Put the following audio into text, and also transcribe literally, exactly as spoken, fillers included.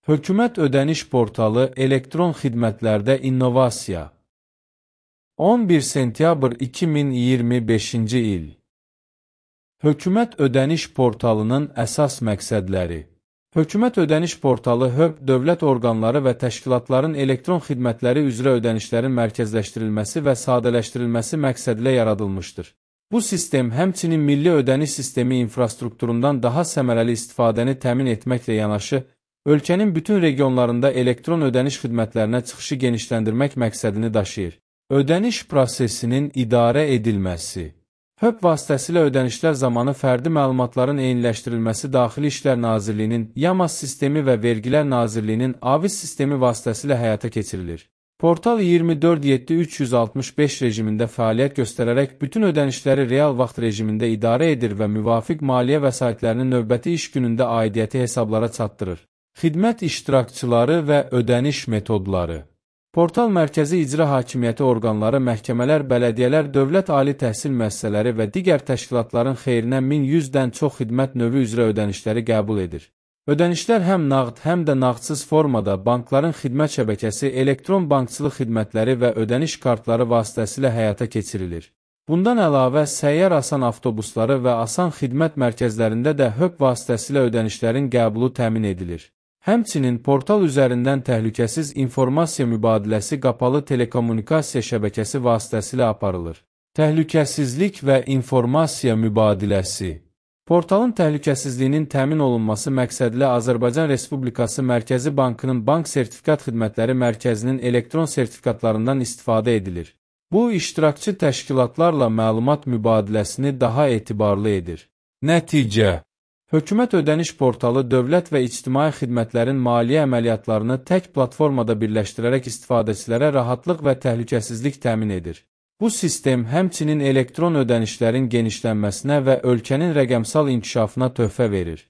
Hökumət ödəniş portalı elektron xidmətlərdə innovasiya. on bir sentyabr iki min iyirmi beşinci il. Hökumət ödəniş portalının əsas məqsədləri. Hökumət ödəniş portalı H Ö B dövlət orqanları və təşkilatların elektron xidmətləri üzrə ödənişlərin mərkəzləşdirilməsi və sadələşdirilməsi məqsədilə yaradılmışdır. Bu sistem həmçinin milli ödəniş sistemi infrastrukturundan daha səmərəli istifadəni təmin etməklə yanaşı, ölkənin bütün regionlarında elektron ödəniş xidmətlərinə çıxışı genişləndirmək məqsədini daşıyır. Ödəniş prosesinin idarə edilməsi. H Ö B vasitəsilə ödənişlər zamanı fərdi məlumatların eyniləşdirilməsi Daxili İşlər Nazirliyinin, YAMAS sistemi və Vergilər Nazirliyinin AVİZ sistemi vasitəsilə həyata keçirilir. Portal iyirmi dörd yeddi üç yüz altmış beş rejimində fəaliyyət göstərərək bütün ödənişləri real vaxt rejimində idarə edir və müvafiq maliyyə vəsaitlərini növbəti iş günündə aidiyyəti hesablara çatdırır. Xidmət iştirakçıları və ödəniş metodları. Portal mərkəzi icra hakimiyyəti orqanları, məhkəmələr, bələdiyyələr, dövlət ali təhsil müəssisələri və digər təşkilatların xeyrinə min yüzdən çox xidmət növü üzrə ödənişləri qəbul edir. Ödənişlər həm nağd, həm də nağdsız formada bankların xidmət şəbəkəsi, elektron bankçılıq xidmətləri və ödəniş kartları vasitəsilə həyata keçirilir. Bundan əlavə, səyyar asan avtobusları və asan xidmət mərkəzlərində də H Ö B vasitəsilə ödənişlərin qəbulu təmin edilir. Həmçinin portal üzərindən təhlükəsiz informasiya mübadiləsi qapalı telekommunikasiya şəbəkəsi vasitəsilə aparılır. Təhlükəsizlik və informasiya mübadiləsi. Portalın təhlükəsizliyinin təmin olunması məqsədilə Azərbaycan Respublikası Mərkəzi Bankının Bank Sertifikat Xidmətləri Mərkəzinin elektron sertifikatlarından istifadə edilir. Bu, iştirakçı təşkilatlarla məlumat mübadiləsini daha etibarlı edir. Nəticə. Hökumət ödəniş portalı dövlət və ictimai xidmətlərin maliyyə əməliyyatlarını tək platformada birləşdirərək istifadəçilərə rahatlıq və təhlükəsizlik təmin edir. Bu sistem həmçinin elektron ödənişlərin genişlənməsinə və ölkənin rəqəmsal inkişafına töhfə verir.